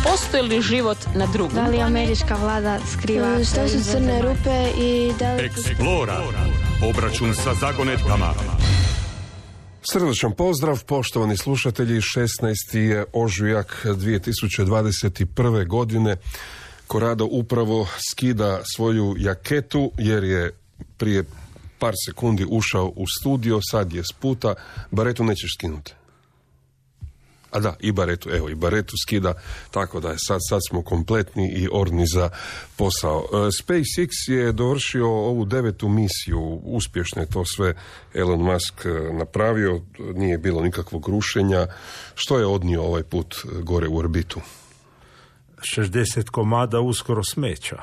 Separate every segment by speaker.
Speaker 1: Postoji li život na drugom?
Speaker 2: Da li američka vlada skriva?
Speaker 3: Što su crne rupe i da li...
Speaker 4: Explora. Obračun sa zagonetkama.
Speaker 5: Srdačan pozdrav, poštovani slušatelji. 16. je ožujak 2021. godine. Korado upravo skida svoju jaketu jer je prije par sekundi ušao u studio, sad je s puta. Baretu nećeš skinuti. A da, i baretu skida, tako da je sad smo kompletni i orni za posao. SpaceX je dovršio ovu 9. misiju, uspješno je to sve Elon Musk napravio, nije bilo nikakvog rušenja. Što je odnio ovaj put gore u orbitu?
Speaker 6: 60 komada uskoro smeća.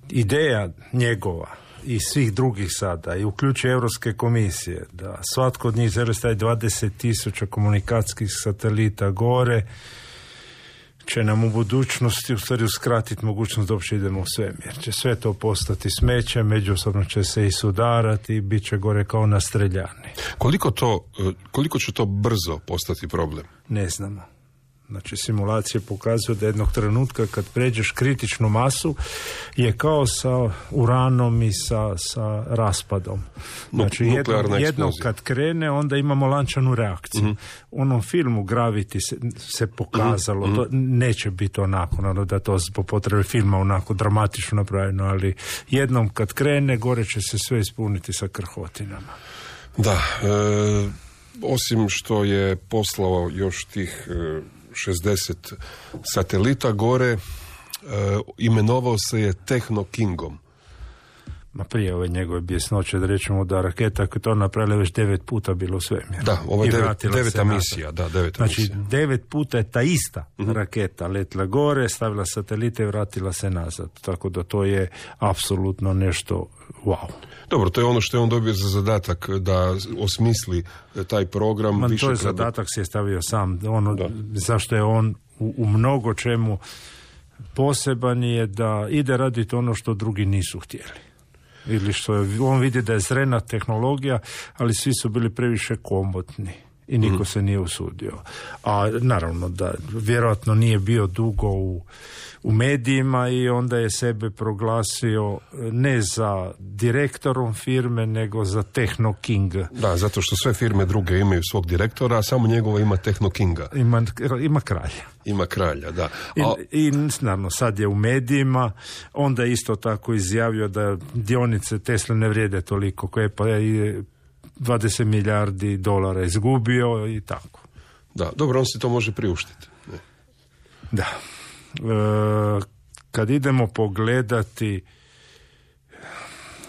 Speaker 6: Ideja njegova i svih drugih sada, i uključuje Europske komisije, da svatko od njih želi staviti 20,000 komunikacijskih satelita gore, će nam u budućnosti u stvari uskratiti mogućnost da uopće idemo u svemir. Će sve to postati smeće, međusobno će se i sudarati i bit će gore kao na streljani.
Speaker 5: Koliko će to brzo postati problem?
Speaker 6: Ne znamo. Znači, simulacije pokazuju da jednog trenutka kad pređeš kritičnu masu je kao sa uranom i sa raspadom. Znači, jednom kad krene, onda imamo lančanu reakciju. Mm-hmm. U onom filmu Gravity se pokazalo, to neće biti onako, naravno da to po potrebi filma onako dramatično napravljeno, ali jednom kad krene, gore će se sve ispuniti sa krhotinama.
Speaker 5: Da, osim što je poslao još tih 60 satelita gore, imenovao se je Techno Kingom.
Speaker 6: Ma prije ove njegove bjesnoće, da rečemo da raketa koja to napravila već 9 puta bilo u svemiru.
Speaker 5: Da, ovo je deveta misija.
Speaker 6: Znači, 9 puta je ta ista raketa letila gore, stavila satelite i vratila se nazad. Tako da to je apsolutno nešto wow.
Speaker 5: Dobro, to je ono što je on dobio za zadatak da osmisli taj program.
Speaker 6: To je zadatak si je stavio sam. Zašto je on u mnogo čemu poseban je da ide raditi ono što drugi nisu htjeli. Ili što on vidi da je zrena tehnologija, ali svi su bili previše komotni i niko se nije usudio. A naravno da vjerojatno nije bio dugo u medijima i onda je sebe proglasio ne za direktorom firme, nego za Techno King.
Speaker 5: Da, zato što sve firme druge imaju svog direktora, a samo njegova ima Techno Kinga.
Speaker 6: Ima kralja.
Speaker 5: Ima kralja, da.
Speaker 6: I naravno, sad je u medijima, onda je isto tako izjavio da dionice Tesla ne vrijede toliko, koje pa je 20 milijardi dolara izgubio i tako.
Speaker 5: Da, dobro, on si to može priuštiti. Ne.
Speaker 6: Da. Kad idemo pogledati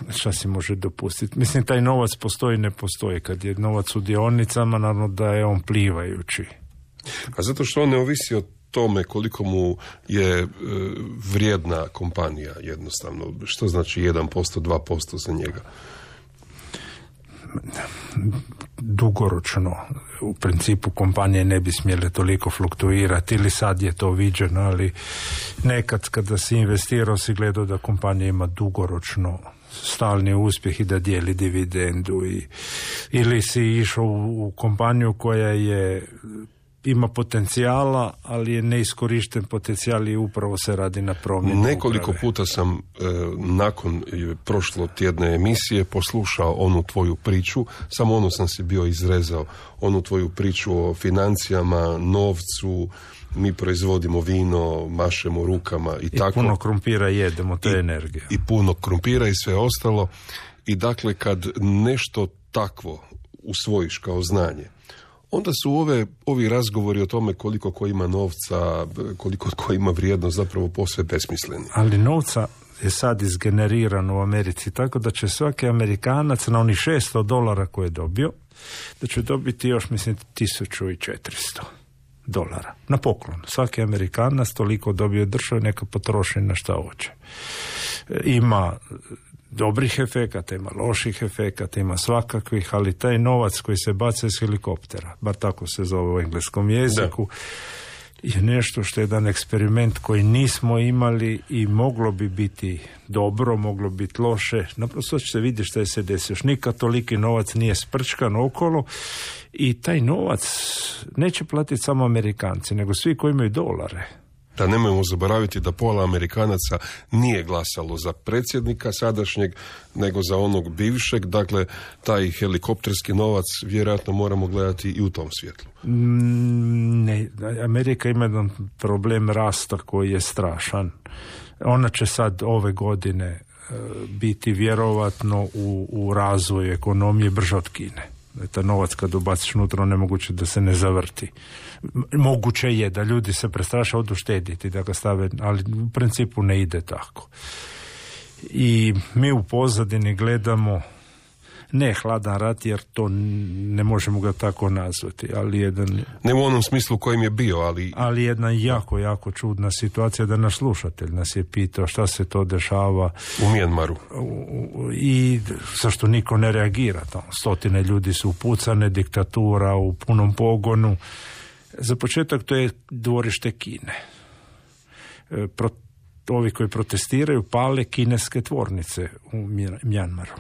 Speaker 6: šta si može dopustiti. Mislim, taj novac postoji, ne postoji. Kad je novac u dionicama, naravno da je on plivajući.
Speaker 5: A zato što on ne ovisi o tome koliko mu je vrijedna kompanija jednostavno. Što znači 1%, 2% za njega?
Speaker 6: Dugoročno u principu kompanije ne bi smjele toliko fluktuirati, ili sad je to viđeno, ali nekad kada si investirao si gledao da kompanija ima dugoročno stalni uspjeh i da dijeli dividendu, ili si išao u kompaniju koja ima potencijala, ali je neiskorišten potencijal i upravo se radi na promjenu.
Speaker 5: Nekoliko puta sam nakon prošlotjedne emisije poslušao onu tvoju priču, samo onu sam si bio izrezao, onu tvoju priču o financijama, novcu, mi proizvodimo vino, mašemo rukama i tako.
Speaker 6: I puno krumpira jedemo, to je energija.
Speaker 5: I puno krumpira i sve ostalo. I dakle, kad nešto takvo usvojiš kao znanje, onda su ovi razgovori o tome koliko ko ima novca, koliko ko ima vrijednost zapravo posve besmisleni.
Speaker 6: Ali novca je sad izgeneriran u Americi, tako da će svaki Amerikanac na onih $600 koje je dobio, da će dobiti još, mislim, $1,400 na poklon. Svaki Amerikanac toliko dobio države, neka potroši na šta hoće. Ima dobrih efekata, ima loših efekata, ima svakakvih, ali taj novac koji se baca iz helikoptera, bar tako se zove u engleskom jeziku, je nešto što je jedan eksperiment koji nismo imali i moglo bi biti dobro, moglo biti loše. Naprosto će se vidjeti što je se desilo. Još nikad toliki novac nije sprčkan okolo i taj novac neće platiti samo Amerikanci, nego svi koji imaju dolare.
Speaker 5: Da nemojmo zaboraviti da pola Amerikanaca nije glasalo za predsjednika sadašnjeg, nego za onog bivšeg. Dakle, taj helikopterski novac vjerojatno moramo gledati i u tom svjetlu.
Speaker 6: Ne, Amerika ima jedan problem rasta koji je strašan. Ona će sad ove godine biti vjerovatno u razvoju ekonomije brže od Kine. Taj novac kad ubaciš unutra, nemoguće da se ne zavrti. Moguće je da ljudi se prestraše, odu štediti, da ga stave, ali u principu ne ide tako. I mi u pozadini gledamo, ne hladan rat, jer to ne možemo ga tako nazvati, ali jedan...
Speaker 5: Ne u onom smislu kojim je bio, ali...
Speaker 6: Ali jedna jako, jako čudna situacija, da naš slušatelj nas je pitao šta se to dešava...
Speaker 5: U Mijanmaru.
Speaker 6: I zašto niko ne reagira. Stotine ljudi su upucane, diktatura u punom pogonu. Za početak to je dvorište Kine. Ovi koji protestiraju pale kineske tvornice u Mijanmaru.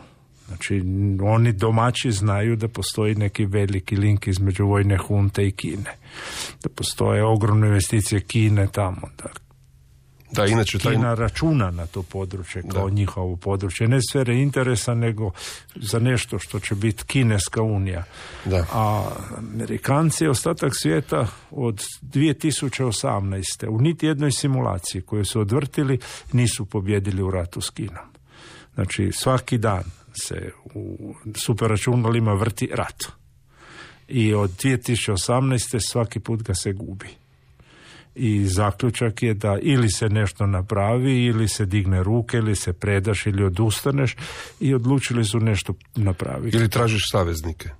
Speaker 6: Znači, oni domaći znaju da postoji neki veliki link između vojne hunte i Kine. Da postoje ogromne investicije Kine tamo.
Speaker 5: Da, inače
Speaker 6: Kina računa na to područje kao njihovo područje. Ne sfere interesa, nego za nešto što će biti Kineska unija.
Speaker 5: Da.
Speaker 6: A Amerikanci, ostatak svijeta od 2018. u niti jednoj simulaciji koju su odvrtili nisu pobjedili u ratu s Kinom. Znači, svaki dan se u superračunalima vrti rat. I od 2018. svaki put ga se gubi. I zaključak je da ili se nešto napravi, ili se digne ruke, ili se predaš, ili odustaneš, i odlučili su nešto napraviti.
Speaker 5: Ili tražiš saveznike.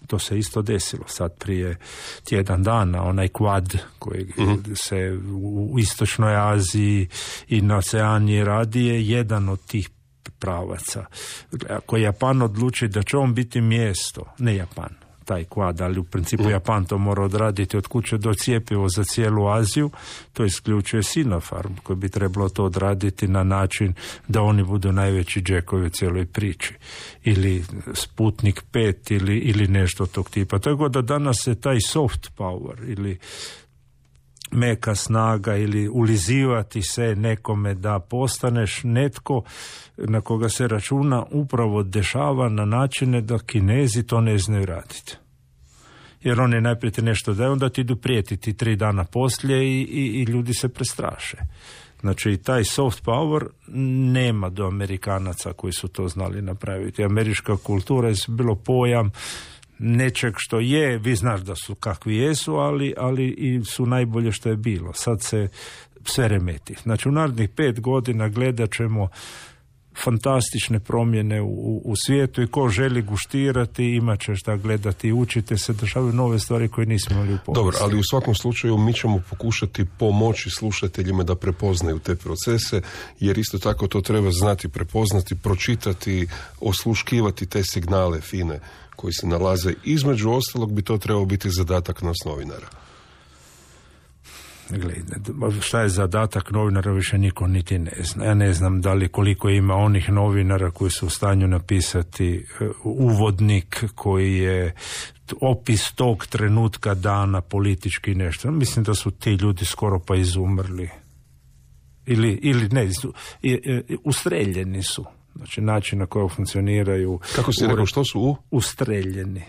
Speaker 6: To se isto desilo sad prije tjedan dana, onaj Quad koji se u Istočnoj Aziji i na Oceaniji radi je jedan od tih pravaca. Ako Japan odluči da će on biti mjesto, ne Japan, taj Quad, ali u principu Japan to mora odraditi od kuće do cjepivo za cijelu Aziju, to isključuje Sinopharm koji bi trebalo to odraditi na način da oni budu najveći džekovi u cijeloj priči. Ili Sputnik 5 ili nešto tog tipa. Tako da danas se taj soft power ili meka snaga ili ulizivati se nekome da postaneš netko na koga se računa upravo dešava na načine da Kinezi to ne znaju raditi. Jer oni najprije ti nešto daju, onda ti idu prijetiti 3 dana poslije i ljudi se prestraše. Znači, taj soft power nema do Amerikanaca koji su to znali napraviti. Američka kultura je bilo pojam nečeg što je, vi znaš da su kakvi jesu, ali i su najbolje što je bilo. Sad se sve remeti. Znači, u narednih 5 godina gledat ćemo fantastične promjene u svijetu i ko želi guštirati, imat će šta gledati i učite se, dešavaju nove stvari koje nismo imali u povijesti.
Speaker 5: Dobro, ali u svakom slučaju mi ćemo pokušati pomoći slušateljima da prepoznaju te procese, jer isto tako to treba znati prepoznati, pročitati, osluškivati te signale fine koji se nalaze. Između ostalog bi to trebao biti zadatak nas novinara.
Speaker 6: Gledaj, šta je zadatak novinara više niko niti ne zna. Ja ne znam da li koliko ima onih novinara koji su u stanju napisati uvodnik koji je opis tog trenutka dana politički nešto. Mislim da su ti ljudi skoro pa izumrli. Ili ne, ustreljeni su. Znači način na koji funkcioniraju.
Speaker 5: Kako si rekao, što su
Speaker 6: ustreljeni?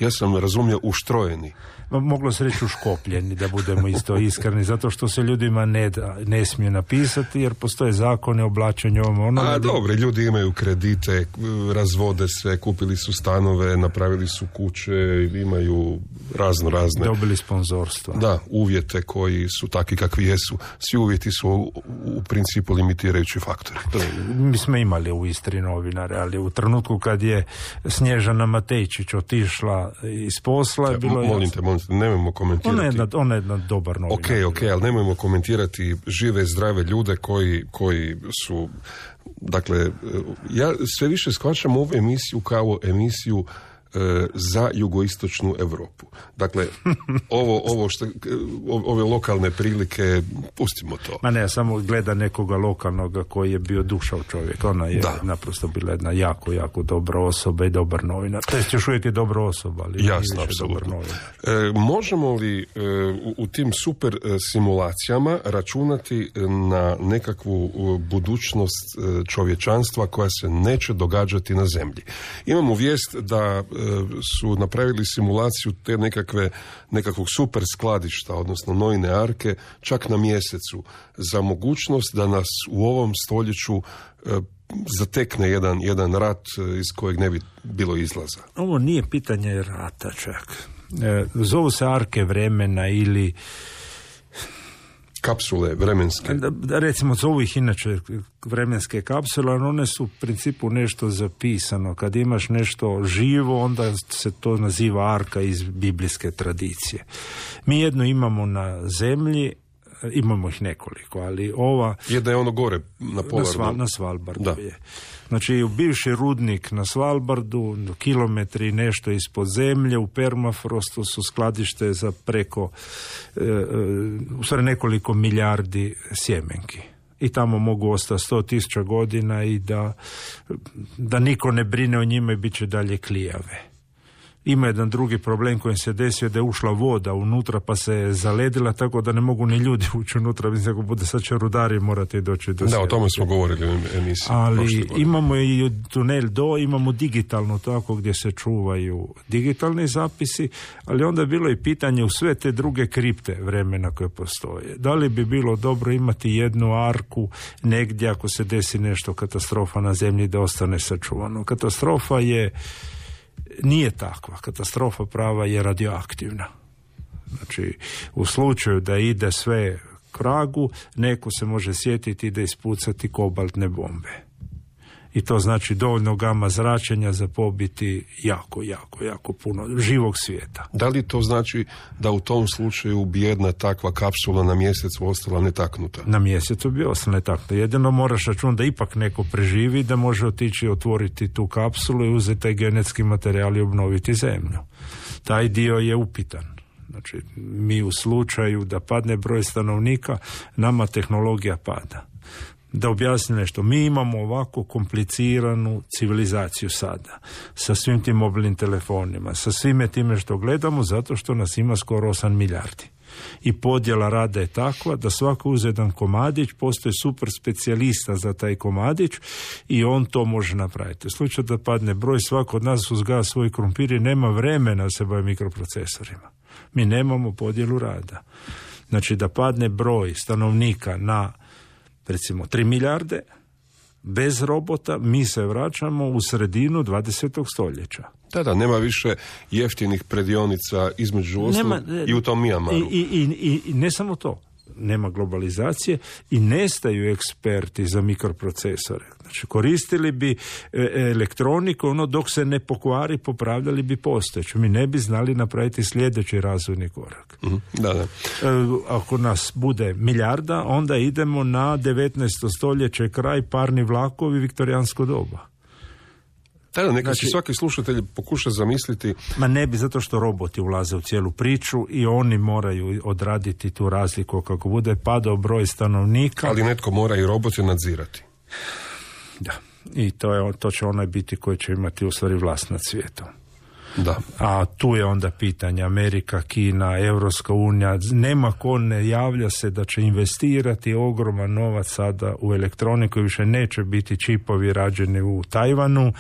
Speaker 5: Ja sam razumio uštrojeni.
Speaker 6: Moglo se reći uškopljeni, da budemo isto iskreni, zato što se ljudima ne smije napisati, jer postoje zakone o oblačenju onoga.
Speaker 5: Dobro, ljudi imaju kredite, razvode se, kupili su stanove, napravili su kuće, imaju razne.
Speaker 6: Dobili sponzorstva.
Speaker 5: Da, uvjete koji su takvi kakvi jesu. Svi uvjeti su u principu limitirajući faktori.
Speaker 6: Mi smo imali u Istri novinare, ali u trenutku kad je Snježana Matejčić otišla iz posla, bilo je...
Speaker 5: Molim te, nemojmo komentirati.
Speaker 6: Ona je jedna dobar novinar.
Speaker 5: Ok, ali nemojmo komentirati žive, zdrave ljude koji su... Dakle, ja sve više shvaćam ovu emisiju kao emisiju za jugoistočnu Europu. Dakle, ove lokalne prilike, pustimo to.
Speaker 6: Ma ne, samo gleda nekoga lokalnoga koji je bio dušav čovjek. Ona je naprosto bila jedna jako, jako dobra osoba i dobar novinar. To je još uvijek je dobra osoba, ali
Speaker 5: jasno, apsolutno. Možemo li u tim super simulacijama računati na nekakvu budućnost čovječanstva koja se neće događati na zemlji? Imamo vijest da su napravili simulaciju te nekakvog super skladišta, odnosno Noine arke, čak na mjesecu, za mogućnost da nas u ovom stoljeću zatekne jedan rat iz kojeg ne bi bilo izlaza.
Speaker 6: Ovo nije pitanje rata čak. Zovu se arke vremena ili
Speaker 5: kapsule vremenske.
Speaker 6: Recimo, zovu ih inače vremenske kapsule, ali one su u principu nešto zapisano. Kad imaš nešto živo, onda se to naziva arka iz biblijske tradicije. Mi jedno imamo na zemlji, imamo ih nekoliko, ali ova...
Speaker 5: Jedna je ono gore, na Polarnom.
Speaker 6: Na Svalbardu je. Znači, u bivši rudnik na Svalbardu, kilometri nešto ispod zemlje, u permafrostu su skladište za preko, u stvari nekoliko milijardi sjemenki. I tamo mogu ostati 100.000 godina i da niko ne brine o njima i bit će dalje klijave. Ima jedan drugi problem koji se desio, da je ušla voda unutra pa se je zaledila, tako da ne mogu ni ljudi ući unutra. Mislim, ako bude sad će rudari morate doći do
Speaker 5: Da, o tome smo govorili u emisiji.
Speaker 6: Ali imamo i tunel imamo digitalno tako gdje se čuvaju digitalni zapisi, ali onda je bilo i pitanje u sve te druge kripte vremena koje postoje. Da li bi bilo dobro imati jednu arku negdje ako se desi nešto katastrofa na zemlji da ostane sačuvano? Katastrofa nije takva. Katastrofa prava je radioaktivna. Znači, u slučaju da ide sve kragu, neko se može sjetiti da ispucati kobaltne bombe. I to znači dovoljno gama zračenja za pobiti jako puno živog svijeta.
Speaker 5: Da li to znači da u tom slučaju bi jedna takva kapsula na mjesecu ostala netaknuta?
Speaker 6: Na mjesecu bi ostala netaknuta. Jedino moraš računati da ipak neko preživi, da može otići otvoriti tu kapsulu i uzeti taj genetski materijal i obnoviti zemlju. Taj dio je upitan. Znači, mi u slučaju da padne broj stanovnika, nama tehnologija pada. Da objasnim nešto, mi imamo ovako kompliciranu civilizaciju sada, sa svim tim mobilnim telefonima, sa svime time što gledamo, zato što nas ima skoro 8 milijardi. I podjela rada je takva da svako uze jedan komadić, postoji super specijalista za taj komadić i on to može napraviti. U slučaju da padne broj, svako od nas uzgaja svoj krumpir i nema vremena da se bavi mikroprocesorima. Mi nemamo podjelu rada. Znači, da padne broj stanovnika na recimo 3 milijarde, bez robota, mi se vraćamo u sredinu 20. stoljeća.
Speaker 5: Da, nema više jeftinih predionica između ostalog i u tom Mijamaru.
Speaker 6: I ne samo to. Nema globalizacije i nestaju eksperti za mikroprocesore. Znači, koristili bi elektroniku, dok se ne pokvari, popravljali bi postojeću. Mi ne bi znali napraviti sljedeći razvojni korak.
Speaker 5: Da.
Speaker 6: Ako nas bude milijarda, onda idemo na 19. stoljeće, kraj, parni vlakovi, viktorijansko doba.
Speaker 5: Neka si svaki slušatelj pokuša zamisliti.
Speaker 6: Ma ne bi, zato što roboti ulaze u cijelu priču i oni moraju odraditi tu razliku kako bude padao broj stanovnika.
Speaker 5: Ali netko mora i robote nadzirati.
Speaker 6: Da, i to će onaj biti koji će imati u stvari vlast nad svijetom.
Speaker 5: Da.
Speaker 6: A tu je onda pitanje Amerika, Kina, Europska unija, nema ko ne javlja se da će investirati ogroman novac sada u elektroniku i više neće biti čipovi rađeni u Tajvanu,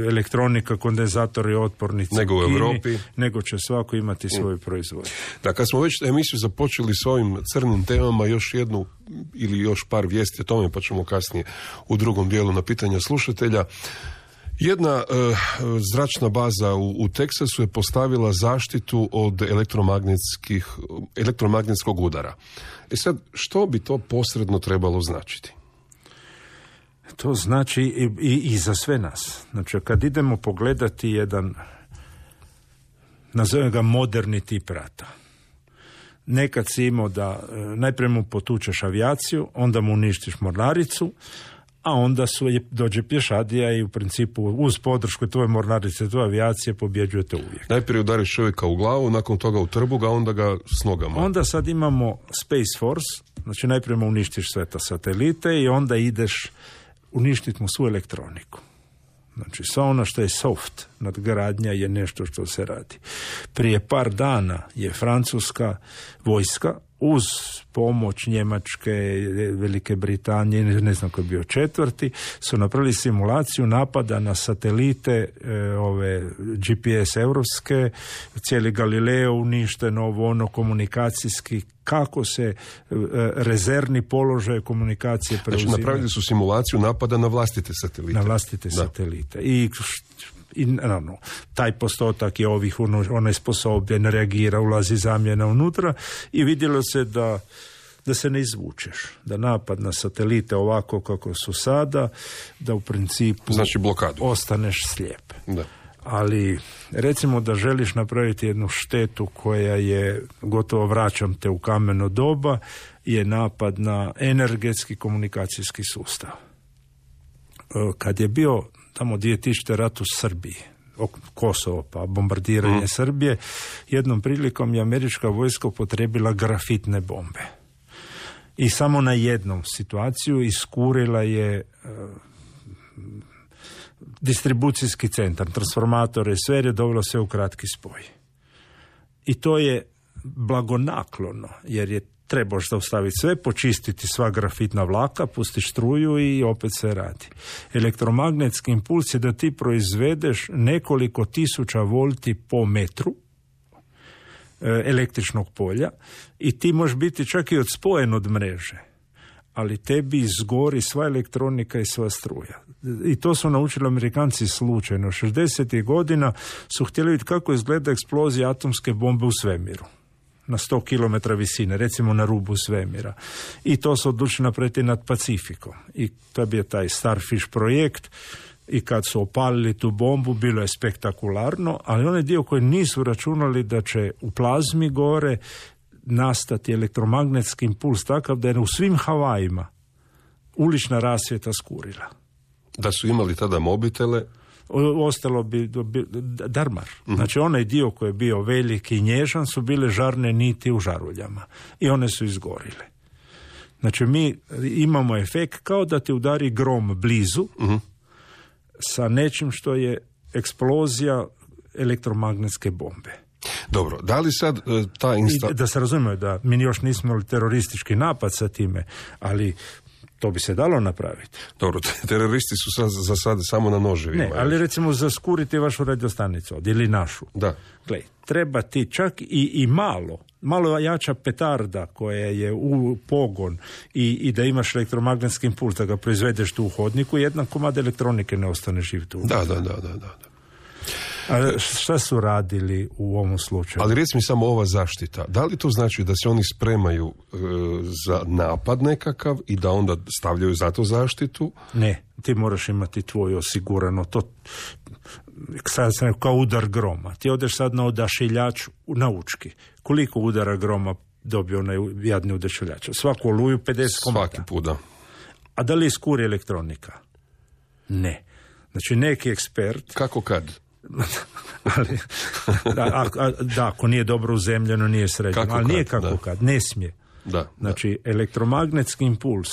Speaker 6: elektronika, kondenzatori, otpornici
Speaker 5: nego u Europi,
Speaker 6: nego će svako imati svoju proizvodnju.
Speaker 5: Da, kad smo već emisiju započeli s ovim crnim temama, još jednu ili još par vijesti o tome, pa ćemo kasnije u drugom dijelu na pitanja slušatelja. Jedna zračna baza u Teksasu je postavila zaštitu od elektromagnetskog udara. Sad, što bi to posredno trebalo značiti?
Speaker 6: To znači i za sve nas. Znači, kad idemo pogledati jedan, nazovem ga moderni tip rata. Nekad si imao da najprije mu potučeš avijaciju, onda mu uništiš mornaricu, a onda dođe pješadija i u principu uz podršku tvoje mornarice, tvoje avijacije pobjeđujete uvijek.
Speaker 5: Najprije udariš čovjeka u glavu, nakon toga u trbuga, onda ga s nogama.
Speaker 6: Onda sad imamo Space Force, znači najprije uništiš sve ta satelite i onda ideš uništiti mu svu elektroniku. Znači, sve ono što je soft, nadgradnja je nešto što se radi. Prije par dana je francuska vojska uz pomoć Njemačke, Velike Britanije, ne znam ko je bio četvrti, su napravili simulaciju napada na satelite ove GPS europske, cijeli Galileo uništen, ono komunikacijski, kako se rezervni položaj komunikacije preuzimaju.
Speaker 5: Znači, napravili su simulaciju napada na vlastite satelite.
Speaker 6: Na vlastite satelite. I naravno, taj postotak je ovih onesposobljen, reagira, ulazi zamjena unutra i vidjelo se da se ne izvučeš, da napad na satelite ovako kako su sada, da u principu
Speaker 5: znači blokadu.
Speaker 6: Ostaneš slijep.
Speaker 5: Da.
Speaker 6: Ali recimo da želiš napraviti jednu štetu koja je, gotovo vraćam te u kameno doba, je napad na energetski komunikacijski sustav. Kad je bio tamo 2000. rat u Srbiji, Kosovo pa bombardiranje Srbije, jednom prilikom je američka vojska upotrijebila grafitne bombe. I samo na jednom situaciju iskurila je distribucijski centar, transformatore, sve je dovelo sve u kratki spoj. I to je blagonaklono, jer je trebaš zaustaviti sve, počistiti sva grafitna vlaka, pustiš struju i opet se radi. Elektromagnetski impuls je da ti proizvedeš nekoliko tisuća volti po metru električnog polja i ti možeš biti čak i odspojen od mreže, ali tebi izgori sva elektronika i sva struja. I to su naučili Amerikanci slučajno. 60. godina su htjeli vidjeti kako izgleda eksplozija atomske bombe u svemiru. Na 100 km visine, recimo na rubu svemira. I to su odlučili napraviti nad Pacifikom. I to je bio taj Starfish projekt i kad su opalili tu bombu, bilo je spektakularno, ali onaj dio koji nisu računali da će u plazmi gore nastati elektromagnetski impuls takav da je u svim Havajima ulična rasvjeta skurila.
Speaker 5: Da su imali tada mobitele,
Speaker 6: ostalo bi darmar. Znači onaj dio koji je bio veliki i nježan su bile žarne niti u žaruljama i one su izgorile. Znači mi imamo efekt kao da te udari grom blizu sa nečim što je eksplozija elektromagnetske bombe.
Speaker 5: Dobro, da li sad ta
Speaker 6: da se razumije da mi još nismo imali teroristički napad sa time, ali to bi se dalo napraviti.
Speaker 5: Dobro, teroristi su za sad samo na noževima.
Speaker 6: Ne, ali recimo zaskuriti vašu radiostanicu ili našu.
Speaker 5: Da.
Speaker 6: Gle, treba ti čak i malo jača petarda koja je u pogon i da imaš elektromagnetski impuls, da ga proizvedeš tu u hodniku, jedan komad elektronike ne ostane živ tu.
Speaker 5: Da.
Speaker 6: A šta su radili u ovom slučaju?
Speaker 5: Ali reci mi samo ova zaštita. Da li to znači da se oni spremaju za napad nekakav i da onda stavljaju za to zaštitu?
Speaker 6: Ne, ti moraš imati tvoje osigurano. To sad sam kao udar groma. Ti odeš sad na odašiljač na Učki. Koliko udara groma dobio onaj jadni odašiljač? Svaku oluju 50 komada.
Speaker 5: Svaki put, da.
Speaker 6: A da li iskuri elektronika? Ne. Znači neki ekspert...
Speaker 5: Kako kad?
Speaker 6: Ali, ako nije dobro uzemljeno, nije sređeno.
Speaker 5: Kako
Speaker 6: ali nije
Speaker 5: kad,
Speaker 6: kako kad, ne smije. Znači, elektromagnetski impuls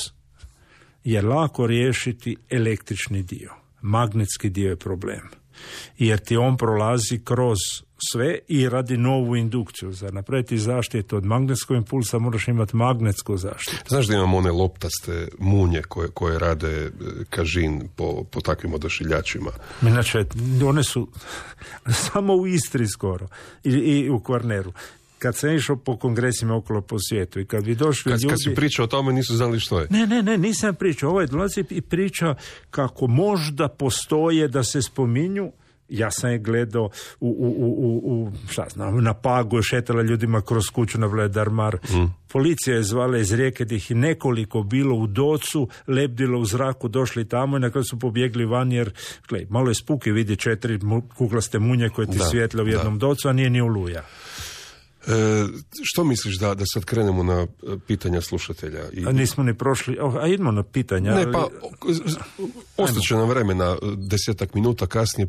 Speaker 6: je lako riješiti električni dio. Magnetski dio je problem. Jer ti on prolazi kroz sve i radi novu indukciju. Za napraviti zaštitu od magnetskog impulsa moraš imati magnetsku zaštitu.
Speaker 5: Znaš da imamo one loptaste munje koje rade kažin po takvim odašiljačima?
Speaker 6: Inače, one su samo u Istri skoro i u Kvarneru. Kad sam išao po kongresima okolo po svijetu i kad bi došli ljudi...
Speaker 5: Kad si pričao o tome nisu znali što je.
Speaker 6: Ne, nisam pričao. Ovaj dolazi i priča kako možda postoje da se spominju. Ja sam je gledao na Pagu, šetala ljudima kroz kuću na Vledarmar. Policija je zvala iz Rijeke, da ih je nekoliko bilo u docu, lebdilo u zraku, došli tamo i na kraju su pobjegli van jer, malo je spuki vidi 4 kuglaste munje koje ti svijetle u jednom docu, a nije ni oluja.
Speaker 5: Što misliš da sad krenemo na pitanja slušatelja?
Speaker 6: A nismo ni prošli, a idemo na pitanja.
Speaker 5: Ne, pa ostaće nam vremena 10 minuta kasnije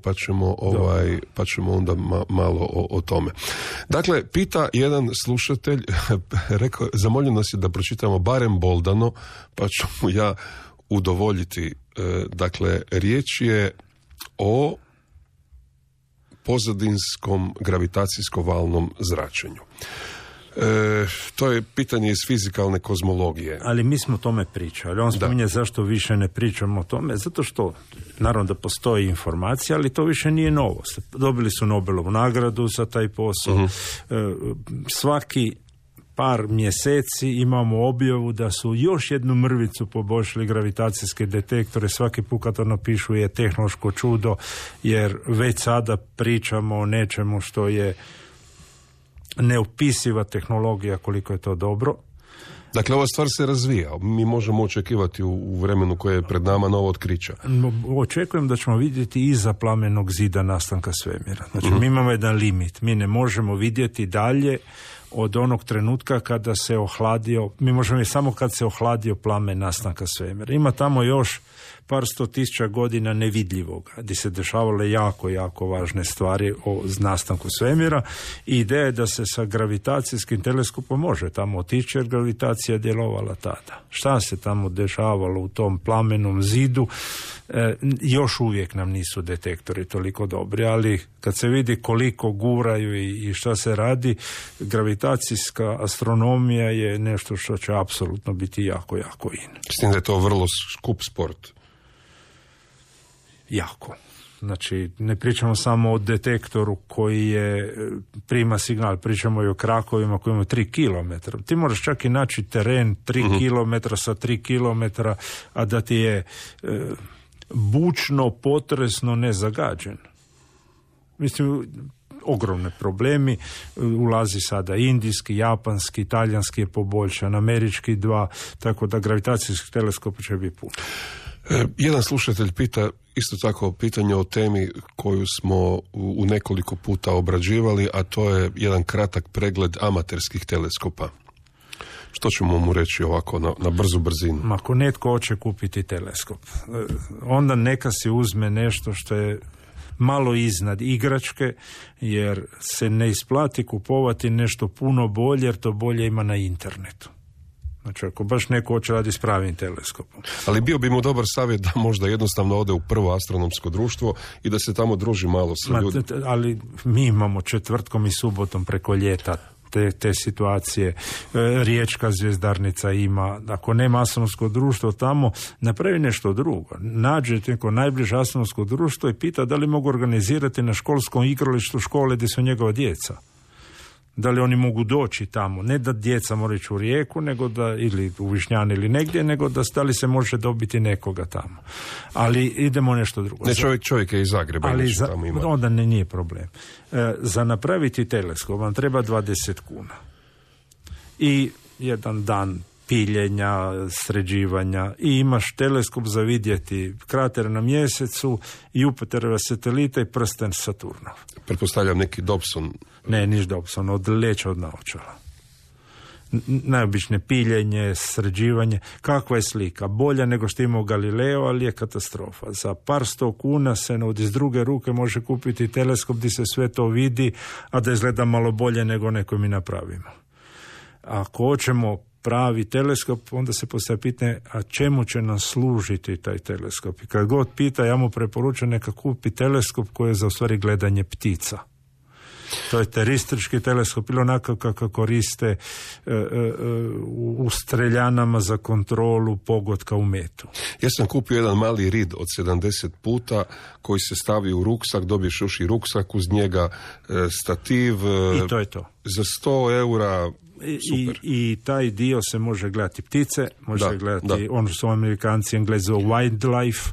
Speaker 5: pa ćemo onda malo o tome. Dakle, pita jedan slušatelj, zamolio nas je da pročitamo barem boldano, pa ću mu ja udovoljiti. Dakle, riječ je o pozadinskom gravitacijsko-valnom zračenju. To je pitanje iz fizikalne kozmologije.
Speaker 6: Ali mi smo o tome pričali. On spominje zašto više ne pričamo o tome. Zato što, naravno da postoji informacija, ali to više nije novost. Dobili su Nobelovu nagradu za taj posao. Svaki par mjeseci imamo objavu da su još jednu mrvicu poboljšali gravitacijske detektore. Svaki put kad to napišu je tehnološko čudo, jer već sada pričamo o nečemu što je neopisiva tehnologija, koliko je to dobro.
Speaker 5: Dakle, ova stvar se razvija. Mi možemo očekivati u vremenu koje je pred nama novo otkrića.
Speaker 6: Očekujem da ćemo vidjeti iza plamenog zida nastanka svemira. Znači, mi imamo jedan limit. Mi ne možemo vidjeti dalje od onog trenutka kada se ohladio, mi možemo samo kad se ohladio plamen nastanka svemira. Ima tamo još par 100.000 godina nevidljivog, gdje se dešavale jako, jako važne stvari o nastanku svemira i ideja je da se sa gravitacijskim teleskopom može tamo otići, jer gravitacija je djelovala tada. Šta se tamo dešavalo u tom plamenom zidu, još uvijek nam nisu detektori toliko dobri, ali kad se vidi koliko guraju i šta se radi, gravitacijska astronomija je nešto što će apsolutno biti jako, jako in.
Speaker 5: S tim da je to vrlo skup sport.
Speaker 6: Jako. Znači, ne pričamo samo o detektoru koji je prima signal, pričamo i o krakovima koji imaju 3 km. Ti moraš čak i naći teren 3 km sa 3 km, a da ti je bučno, potresno nezagađen. Mislim, ogromne problemi. Ulazi sada indijski, japanski, talijanski je poboljšan, američki 2, tako da gravitacijski teleskop će biti puno.
Speaker 5: Jedan slušatelj pita isto tako pitanje o temi koju smo u nekoliko puta obrađivali, a to je jedan kratak pregled amaterskih teleskopa. Što ćemo mu reći ovako na brzu brzinu?
Speaker 6: Ako netko hoće kupiti teleskop, onda neka si uzme nešto što je malo iznad igračke, jer se ne isplati kupovati nešto puno bolje, jer to bolje ima na internetu. Znači, ako baš neko hoće radi s pravim teleskopom.
Speaker 5: Ali bio bi mu dobar savjet da možda jednostavno ode u prvo astronomsko društvo i da se tamo druži malo sa ljudima.
Speaker 6: Ali mi imamo četvrtkom i subotom preko ljeta te situacije. Riječka zvjezdarnica ima. Ako nema astronomsko društvo tamo, napravi nešto drugo. Nađe neko najbliže astronomsko društvo i pita da li mogu organizirati na školskom igralištu škole gdje su njegova djeca. Da li oni mogu doći tamo, ne da djeca moraju ići u Rijeku, nego da, ili u Višnjani ili negdje, nego da li se može dobiti nekoga tamo. Ali idemo nešto drugo.
Speaker 5: Ne, čovjek je iz Zagreba.
Speaker 6: Ali onda nije problem. Za napraviti teleskop vam treba 20 kuna. I jedan dan piljenja, sređivanja i imaš teleskop za vidjeti krater na mjesecu, Jupiterova satelita i prsten Saturnov.
Speaker 5: Pretpostavljam neki Dobson.
Speaker 6: Ne, niš Dobson, odleća od naočala. Najobičnije piljenje, sređivanje. Kakva je slika? Bolja nego što imao Galileo, ali je katastrofa. Za par 100 kuna se iz druge ruke može kupiti teleskop gdje se sve to vidi, a da izgleda malo bolje nego neko mi napravimo. Ako hoćemo pravi teleskop, onda se postavlja pitanje, a čemu će nam služiti taj teleskop? I kad god pita, ja mu preporučujem neka kupi teleskop koji je za u stvari gledanje ptica. To je teristrički teleskop ili onako kako koriste u streljanama za kontrolu pogotka u metu.
Speaker 5: Ja sam kupio jedan mali rid od 70 puta koji se stavi u ruksak, dobiješ još i ruksak, uz njega stativ.
Speaker 6: I to je to.
Speaker 5: Za 100 eura.
Speaker 6: I taj dio se može gledati ptice, može se gledati ono što su Amerikanci Englezi wildlife,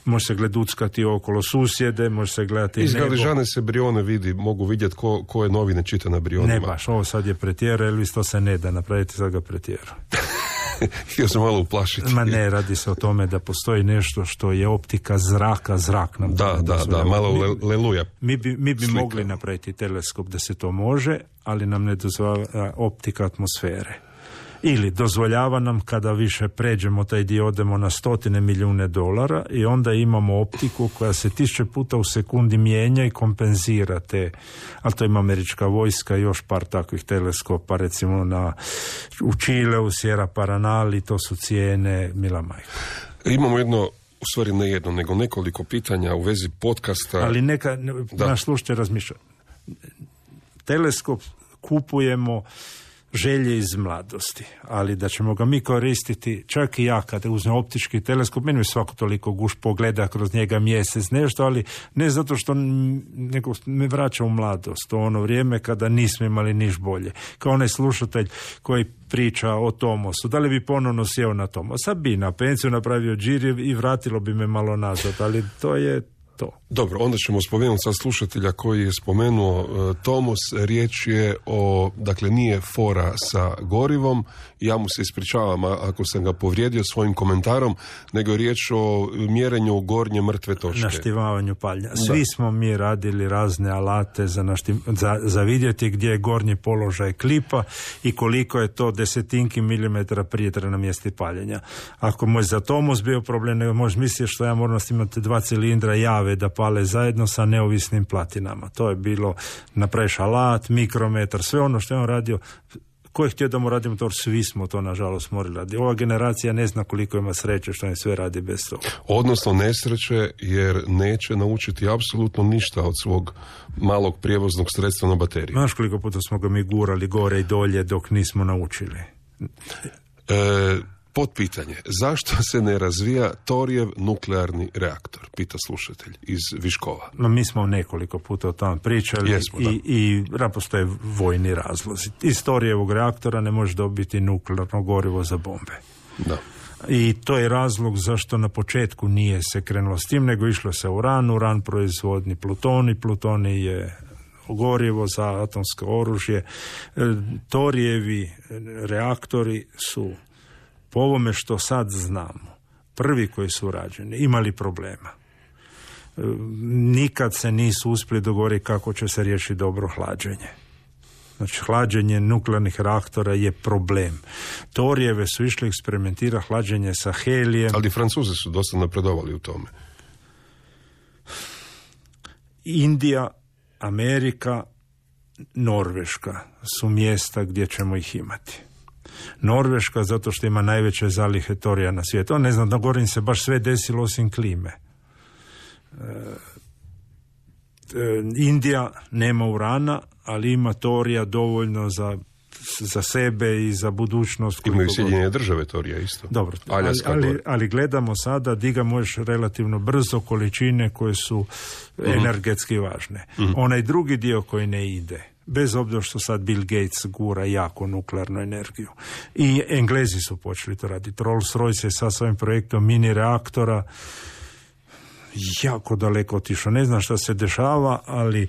Speaker 6: može se gleduckati okolo susjede, može se gledati
Speaker 5: iz Galižane se Brione vidi, mogu vidjeti ko je novine čita na Brionima.
Speaker 6: Ne baš, ovo sad je pretjera, Elvis, to se ne da napraviti, sad ga pretjera.
Speaker 5: Htio sam malo uplašiti.
Speaker 6: Ma ne, radi se o tome da postoji nešto što je optika zraka, zrak nam.
Speaker 5: Da, malo leluja.
Speaker 6: Mi bi mogli napraviti teleskop da se to može, ali nam ne dozvoljava optika atmosfere. Ili dozvoljava nam kada više pređemo taj dio, odemo na $100 milijuna i onda imamo optiku koja se 1000 puta u sekundi mijenja i kompenzira te, ali to ima američka vojska i još par takvih teleskopa, recimo u Čileu, Sierra Paranali, to su cijene mila majka.
Speaker 5: Imamo jedno, u stvari ne jedno, nego nekoliko pitanja u vezi podcasta.
Speaker 6: Ali naš slušatelj razmišlja. Teleskop kupujemo želje iz mladosti, ali da ćemo ga mi koristiti, čak i ja kada uzmem optički teleskop, meni svako toliko guš pogleda kroz njega mjesec nešto, ali ne zato što nego me vraća u mladost, to ono vrijeme kada nismo imali niš bolje. Kao onaj slušatelj koji priča o Tomosu, da li bi ponovno sjeo na Tomosa? Bi, na penciju napravio džir i vratilo bi me malo nazad, ali to je to.
Speaker 5: Dobro, onda ćemo spomenuti sad slušatelja koji je spomenuo Tomos. Riječ je o, dakle, nije fora sa gorivom. Ja mu se ispričavam ako sam ga povrijedio svojim komentarom, nego je riječ o mjerenju gornje mrtve točke.
Speaker 6: Naštivavanju palja. Svi smo mi radili razne alate za vidjeti gdje je gornji položaj klipa i koliko je to desetinki milimetara prije na mjesti paljenja. Ako mu je za Tomos bio problem, nego možeš misliti što ja moram imati 2 cilindra jave da pale zajedno sa neovisnim platinama. To je bilo, napraviš alat, mikrometar, sve ono što je on radio. Ko je htio da mu radi motor, svi smo to nažalost morali raditi. Ova generacija ne zna koliko ima sreće što ne sve radi bez toga.
Speaker 5: Odnosno nesreće, jer neće naučiti apsolutno ništa od svog malog prijevoznog sredstva na bateriju.
Speaker 6: Znaš koliko puta smo ga mi gurali gore i dolje dok nismo naučili?
Speaker 5: Potpitanje. Zašto se ne razvija Torijev nuklearni reaktor? Pita slušatelj iz Viškova.
Speaker 6: Mi smo nekoliko puta o tome pričali.
Speaker 5: Jesmo,
Speaker 6: i postoje vojni razlozi. Iz Torijevog reaktora ne može dobiti nuklearno gorivo za bombe.
Speaker 5: Da.
Speaker 6: I to je razlog zašto na početku nije se krenulo s tim, nego išlo se uran proizvodni plutoni je gorivo za atomsko oružje. Torijevi reaktori su, po ovome što sad znamo, prvi koji su rađeni, imali problema. Nikad se nisu uspjeli dogovoriti kako će se riješiti dobro hlađenje. Znači, hlađenje nuklearnih reaktora je problem. Torijeve su išli eksperimentirati hlađenje sa helijem.
Speaker 5: Ali Francuzi su dosta napredovali u tome.
Speaker 6: Indija, Amerika, Norveška su mjesta gdje ćemo ih imati. Norveška zato što ima najveće zalihe torija na svijetu. Ne znam, da govorim se baš sve desilo osim klime. Indija nema urana, ali ima torija dovoljno za sebe i za budućnost.
Speaker 5: Imaju Sjedinjene države torija isto.
Speaker 6: Dobro, ali gledamo sada di ga možeš relativno brzo, količine koje su energetski važne. Onaj drugi dio koji ne ide, bez obzira što sad Bill Gates gura jako nuklearnu energiju. I Englezi su počeli to raditi. Rolls-Royce je sa svojim projektom mini reaktora jako daleko otišao. Ne znam šta se dešava, ali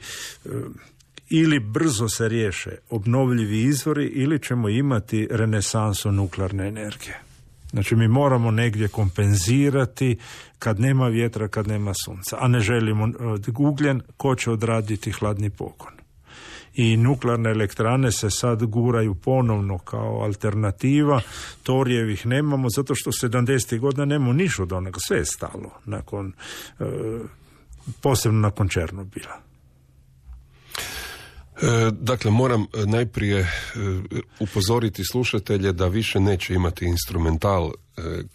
Speaker 6: ili brzo se riješe obnovljivi izvori ili ćemo imati renesansu nuklearne energije. Znači mi moramo negdje kompenzirati kad nema vjetra, kad nema sunca, a ne želimo ugljen, ko će odraditi hladni pogon. I nuklearne elektrane se sad guraju ponovno kao alternativa. Torijevih nemamo zato što 70. godina nemamo niš od onoga. Sve je stalo nakon, posebno nakon Černobila.
Speaker 5: Dakle, moram najprije upozoriti slušatelje da više neće imati instrumental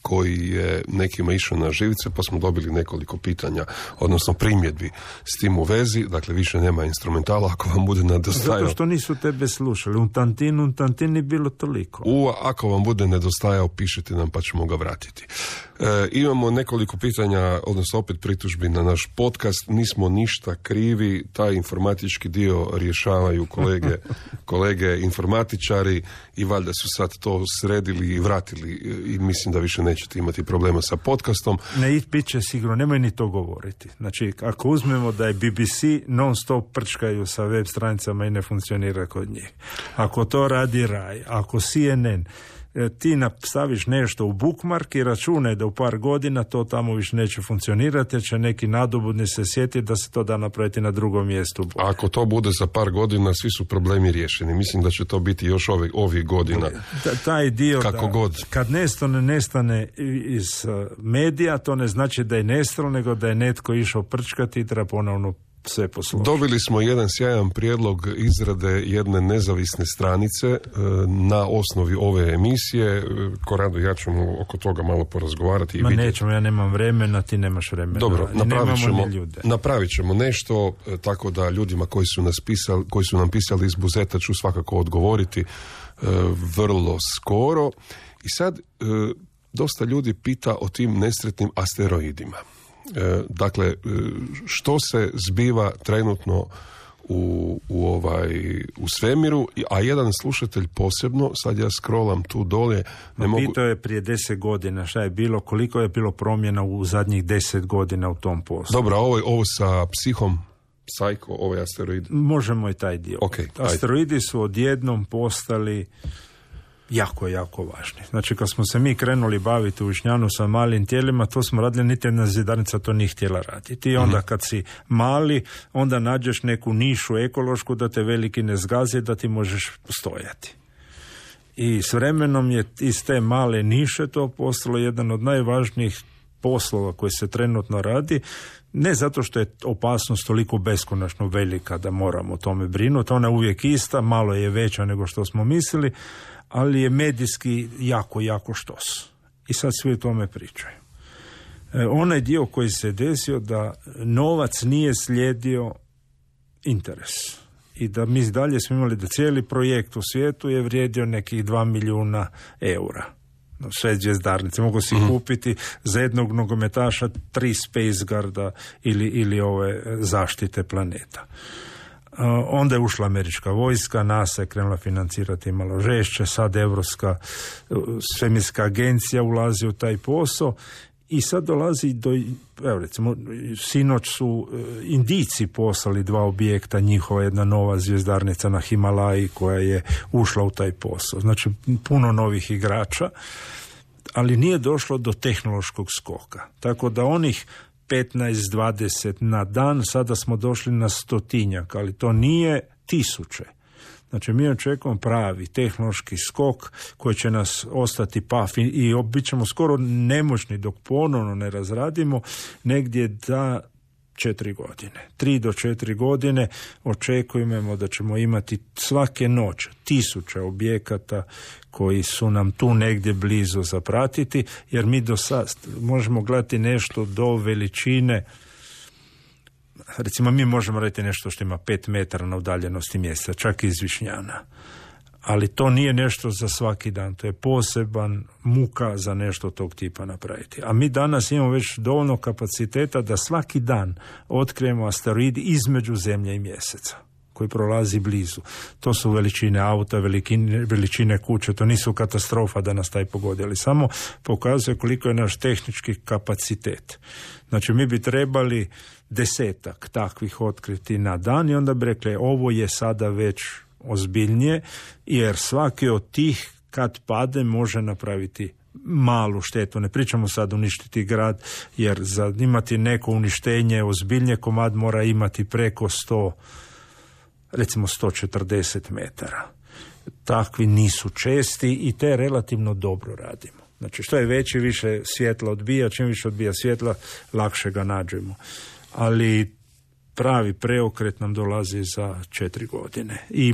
Speaker 5: koji je nekima išao na živce, pa smo dobili nekoliko pitanja, odnosno primjedbi s tim u vezi. Dakle, više nema instrumentala ako vam bude nedostajao.
Speaker 6: Zato što nisu tebe slušali. Un tantin je bilo toliko.
Speaker 5: Ako vam bude nedostajao, pišite nam pa ćemo ga vratiti. Imamo nekoliko pitanja, odnosno opet pritužbi na naš podcast. Nismo ništa krivi, taj informatički dio rješavaju kolege informatičari i valjda su sad to sredili i vratili i mislim da više nećete imati problema sa podcastom.
Speaker 6: Ne, bit će sigurno, nemoj ni to govoriti. Znači, ako uzmemo da je BBC non stop prčkaju sa web stranicama i ne funkcionira kod njih. Ako to radi RAI, ako CNN, ti staviš nešto u bookmark i računaj da u par godina to tamo više neće funkcionirati, jer će neki nadobudni se sjetiti da se to da napraviti na drugom mjestu.
Speaker 5: Ako to bude za par godina, svi su problemi riješeni. Mislim da će to biti još ovih godina.
Speaker 6: Taj dio
Speaker 5: kako god.
Speaker 6: Kad nestane iz medija, to ne znači da je nestalo, nego da je netko išao prčkati i treba ponovno sve posložiti. Dobili
Speaker 5: smo jedan sjajan prijedlog izrade jedne nezavisne stranice na osnovi ove emisije. Korado, ja ćemo oko toga malo porazgovarati.
Speaker 6: Nećemo, ja nemam vremena, ti nemaš vremena.
Speaker 5: Dobro, napravit ćemo nešto, tako da ljudima koji su nam pisali iz Buzeta ću svakako odgovoriti vrlo skoro. I sad dosta ljudi pita o tim nesretnim asteroidima. Dakle, što se zbiva trenutno u svemiru, a jedan slušatelj posebno, sad ja scrollam tu dolje,
Speaker 6: pitao je prije 10 godina šta je bilo, koliko je bilo promjena u zadnjih 10 godina u tom poslu.
Speaker 5: Dobro, ovo sa Psycho, ovaj asteroid.
Speaker 6: Možemo i taj dio.
Speaker 5: Okay,
Speaker 6: asteroidi su odjednom postali jako, jako važni. Znači, kad smo se mi krenuli baviti u Višnjanu sa malim tijelima, to smo radili, niti jedna zidarnica to nije htjela raditi. I onda kad si mali, onda nađeš neku nišu ekološku da te veliki ne zgazi, da ti možeš stojati. I s vremenom je iz te male niše to postalo jedan od najvažnijih poslova koji se trenutno radi, ne zato što je opasnost toliko beskonačno velika da moramo o tome brinuti, ona je uvijek ista, malo je veća nego što smo mislili, ali je medijski jako, jako štos. I sad svi o tome pričaju. Onaj dio koji se desio da novac nije slijedio interes. I da mi dalje smo imali da cijeli projekt u svijetu je vrijedio nekih 2 milijuna eura. Sve zvjezdarnice. Mogu si kupiti za jednog nogometaša 3 Space Guarda ili ove zaštite planeta. Onda je ušla američka vojska, NASA je krenula financirati malo žešće, sad Europska svemirska agencija ulazi u taj posao i sad dolazi do, evo recimo, sinoć su Indijci poslali 2 objekta, njihova jedna nova zvjezdarnica na Himalaji koja je ušla u taj posao. Znači, puno novih igrača, ali nije došlo do tehnološkog skoka. Tako da onih 15-20 na dan, sada smo došli na 100-tinjak, ali to nije 1000. Znači, mi očekujemo pravi tehnološki skok koji će nas ostati paf i bit ćemo skoro nemoćni dok ponovno ne razradimo negdje da 4 godine. 3 do 4 godine očekujemo da ćemo imati svake noći 1000 objekata koji su nam tu negdje blizu zapratiti, jer mi do sad možemo gledati nešto do veličine, recimo mi možemo raditi nešto što ima 5 metara na udaljenosti mjesta, čak iz Višnjana. Ali to nije nešto za svaki dan, to je poseban muka za nešto tog tipa napraviti. A mi danas imamo već dovoljno kapaciteta da svaki dan otkrijemo asteroidi između Zemlje i Mjeseca, koji prolazi blizu. To su veličine auta, veličine kuće, to nisu katastrofa da nas taj pogodi, ali samo pokazuje koliko je naš tehnički kapacitet. Znači, mi bi trebali 10 takvih otkriti na dan i onda bi rekli, ovo je sada već ozbiljnije, jer svaki od tih kad pade može napraviti malu štetu. Ne pričamo sad uništiti grad, jer za imati neko uništenje ozbiljnije komad mora imati preko 100, recimo 140 metara. Takvi nisu česti i te relativno dobro radimo. Znači, što je veći, više svjetla odbija, čim više odbija svjetla, lakše ga nađemo. Ali pravi preokret nam dolazi za 4 godine i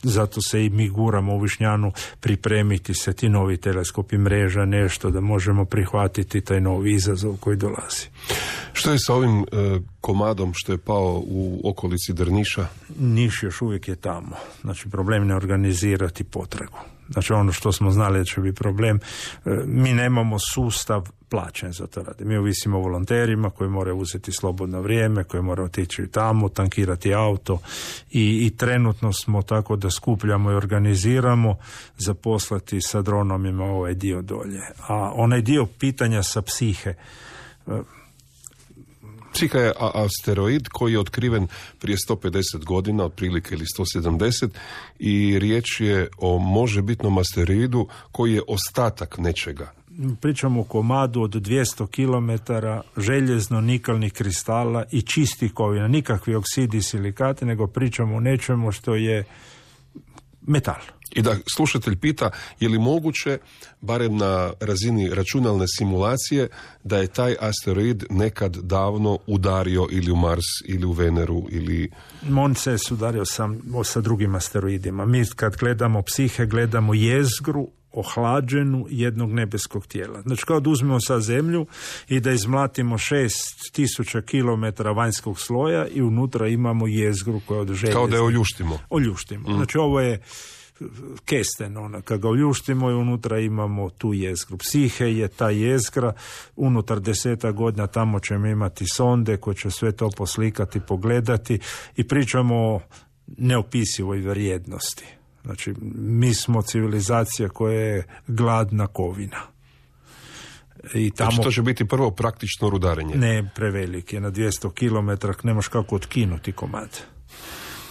Speaker 6: zato se i mi guramo u Višnjanu pripremiti se ti novi teleskopi, mreža, nešto da možemo prihvatiti taj novi izazov koji dolazi.
Speaker 5: Što je sa ovim komadom što je pao u okolici Drniša?
Speaker 6: Niš još uvijek je tamo. Znači, problem ne organizirati potragu. Znači, ono što smo znali da će biti problem, mi nemamo sustav plaćen za to radi. Mi ovisimo o volonterima koji moraju uzeti slobodno vrijeme, koji moraju otići tamo, tankirati auto i trenutno smo tako da skupljamo i organiziramo zaposlati sa dronomima ovaj dio dolje. A onaj dio pitanja sa psihe,
Speaker 5: Psiha je asteroid koji je otkriven prije 150 godina, otprilike ili 170, i riječ je o možebitnom asteroidu koji je ostatak nečega.
Speaker 6: Pričamo o komadu od 200 km željezno-nikalnih kristala i čistih kovina, nikakvi oksidi i silikati, nego pričamo o nečemu što je metal.
Speaker 5: I da slušatelj pita, je li moguće, barem na razini računalne simulacije, da je taj asteroid nekad davno udario ili u Mars, ili u Veneru, ili...
Speaker 6: On se sudario sa drugim asteroidima. Mi kad gledamo Psihe, gledamo jezgru ohlađenu jednog nebeskog tijela. Znači, kao da uzmemo sa Zemlju i da izmlatimo 6000 km vanjskog sloja i unutra imamo jezgru koja od željeza.
Speaker 5: Kao da je oljuštimo.
Speaker 6: Oljuštimo. Znači, ovo je kesten, kad ga oljuštimo i unutra imamo tu jezgru. Psihe je ta jezgra, unutar 10 godina tamo ćemo imati sonde koje će sve to poslikati, pogledati i pričamo o neopisivoj vrijednosti. Znači, mi smo civilizacija koja je gladna kovina. I tamo,
Speaker 5: znači, to će biti prvo praktično rudarenje.
Speaker 6: Ne, prevelik je, na 200 km nemaš kako otkinuti komad.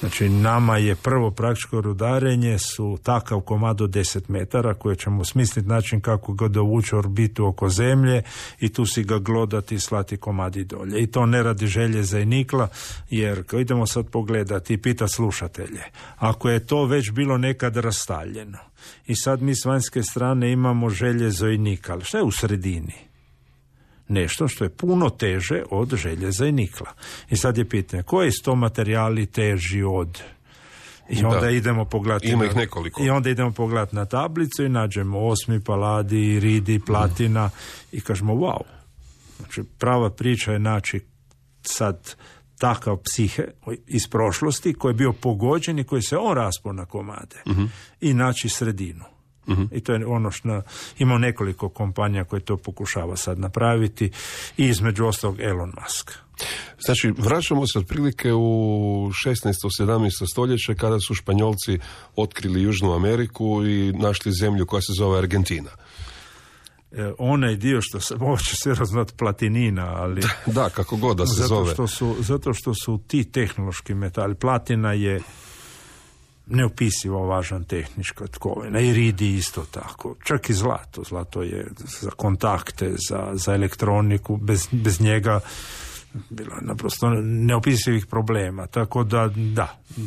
Speaker 6: Znači, nama je prvo praktično rudarenje su takav komad od 10 metara koje ćemo smisliti način kako ga dovući orbitu oko Zemlje i tu si ga glodati i slati komadi dolje. I to ne radi željeza i nikla, jer idemo sad pogledati i pita slušatelje. Ako je to već bilo nekad rastaljeno i sad mi s vanjske strane imamo željezo i nikal, šta je u sredini? Nešto što je puno teže od željeza i nikla. I sad je pitanje, koji su to materijali teži od... I onda idemo pogledati...
Speaker 5: Ima ih nekoliko.
Speaker 6: I onda idemo pogledati na tablicu i nađemo osmi, paladi, iridi, platina i kažemo wow. Znači, prava priča je naći sad takav Psihe iz prošlosti koji je bio pogođen i koji se on raspao na komade i naći sredinu. I to je ono što ima nekoliko kompanija koje to pokušava sad napraviti i između ostalog Elon Musk.
Speaker 5: Znači, vraćamo se otprilike u 16. 17. stoljeće kada su Španjolci otkrili Južnu Ameriku i našli zemlju koja se zove Argentina.
Speaker 6: Onaj dio što se može sve raznat platinina, ali...
Speaker 5: Da, kako god da se zove.
Speaker 6: Zato što su ti tehnološki metali. Platina je neopisivo važan tehnička tkovina. Iridi isto tako. Čak i zlato. Zlato je za kontakte, za elektroniku. Bez njega bilo je naprosto neopisivih problema. Tako da,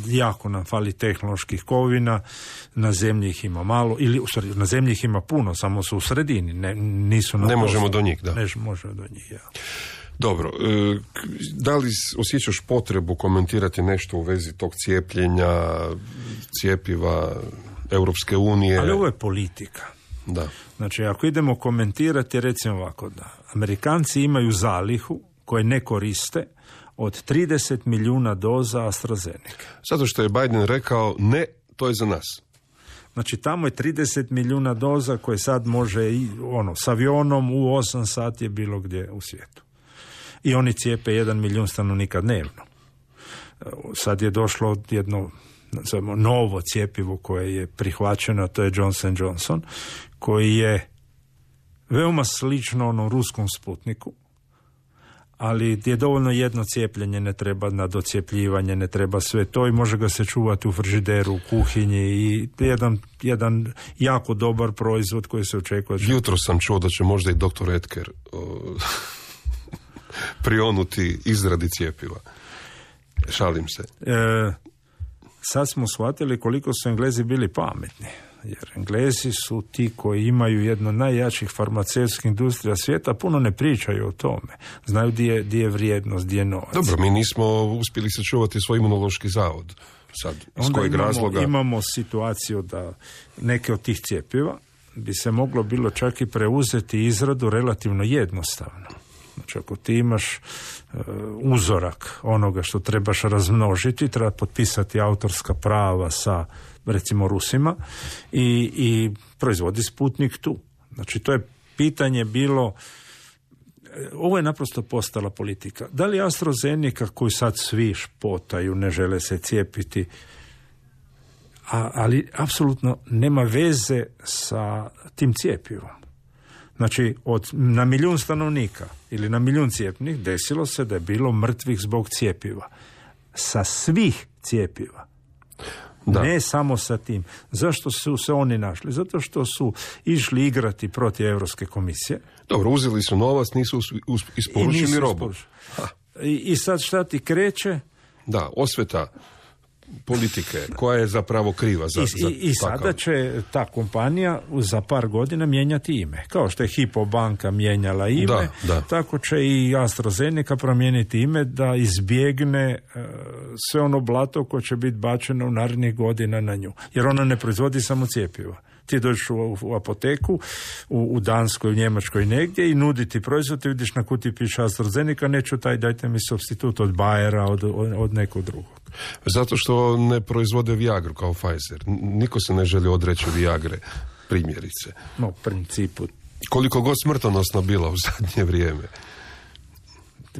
Speaker 6: jako nam fali tehnoloških kovina. Na zemlji ih ima malo. Ili, u stvari, na zemlji ih ima puno, samo su u sredini. Ne
Speaker 5: možemo do njih, da.
Speaker 6: Ne možemo do njih, ja.
Speaker 5: Dobro, da li osjećaš potrebu komentirati nešto u vezi tog cijepljenja, cjepiva Europske unije?
Speaker 6: Ali ovo je politika.
Speaker 5: Da.
Speaker 6: Znači, ako idemo komentirati, recimo ovako, da Amerikanci imaju zalihu koje ne koriste od 30 milijuna doza AstraZeneca.
Speaker 5: Zato što je Biden rekao, ne, to je za nas.
Speaker 6: Znači, tamo je 30 milijuna doza koje sad može s avionom u 8 sati je bilo gdje u svijetu. I oni cijepe 1 milijun stanovnika dnevno. Sad je došlo jedno novo cjepivo koje je prihvaćeno, to je Johnson & Johnson, koji je veoma slično onom ruskom Sputniku, ali je dovoljno jedno cijepljenje, ne treba na docijepljivanje, ne treba sve to i može ga se čuvati u frižideru, u kuhinji i jedan jako dobar proizvod koji se očekuje.
Speaker 5: Jutro sam čuo da će možda i doktor Edker prionuti izradi cjepiva. Šalim se.
Speaker 6: Sad smo shvatili koliko su Englezi bili pametni. Jer Englezi su ti koji imaju jednu od najjačih farmaceutskih industrija svijeta, puno ne pričaju o tome. Znaju di je vrijednost, di je novac.
Speaker 5: Dobro, mi nismo uspjeli sačuvati svoj imunološki zavod. Sad, iz kojeg razloga?
Speaker 6: Imamo situaciju da neke od tih cjepiva bi se moglo bilo čak i preuzeti izradu relativno jednostavno. Znači, ako ti imaš uzorak onoga što trebaš razmnožiti, treba potpisati autorska prava sa, recimo, Rusima i proizvodi Sputnik tu. Znači, to je pitanje bilo, ovo je naprosto postala politika. Da li AstraZeneca, koju sad svi špotaju, ne žele se cijepiti, ali apsolutno nema veze sa tim cjepivom. Znači, na 1 milijun stanovnika ili na 1 milijun cijepljenih desilo se da je bilo mrtvih zbog cjepiva. Sa svih cjepiva. Da. Ne samo sa tim. Zašto su se oni našli? Zato što su išli igrati protiv Europske komisije.
Speaker 5: Dobro, uzeli su novac, nisu isporučili robu.
Speaker 6: I sad šta ti kreće?
Speaker 5: Da, osveta politike, koja je zapravo kriva za
Speaker 6: I sada će ta kompanija za par godina mijenjati ime. Kao što je Hypo banka mijenjala ime, tako će i AstraZeneca promijeniti ime da izbjegne sve ono blato koje će biti bačeno u narednih godina na nju. Jer ona ne proizvodi samo cjepiva. Ti dođeš u apoteku, u Danskoj, u Njemačkoj negdje i nuditi proizvod, ti vidiš na kutiji piše AstraZeneca, neću taj, dajte mi supstitut od Bayera, od nekog drugog.
Speaker 5: Zato što ne proizvode Viagru kao Pfizer. Niko se ne želi odreći Viagre, primjerice.
Speaker 6: No, u principu.
Speaker 5: Koliko god smrtonosno bila u zadnje vrijeme.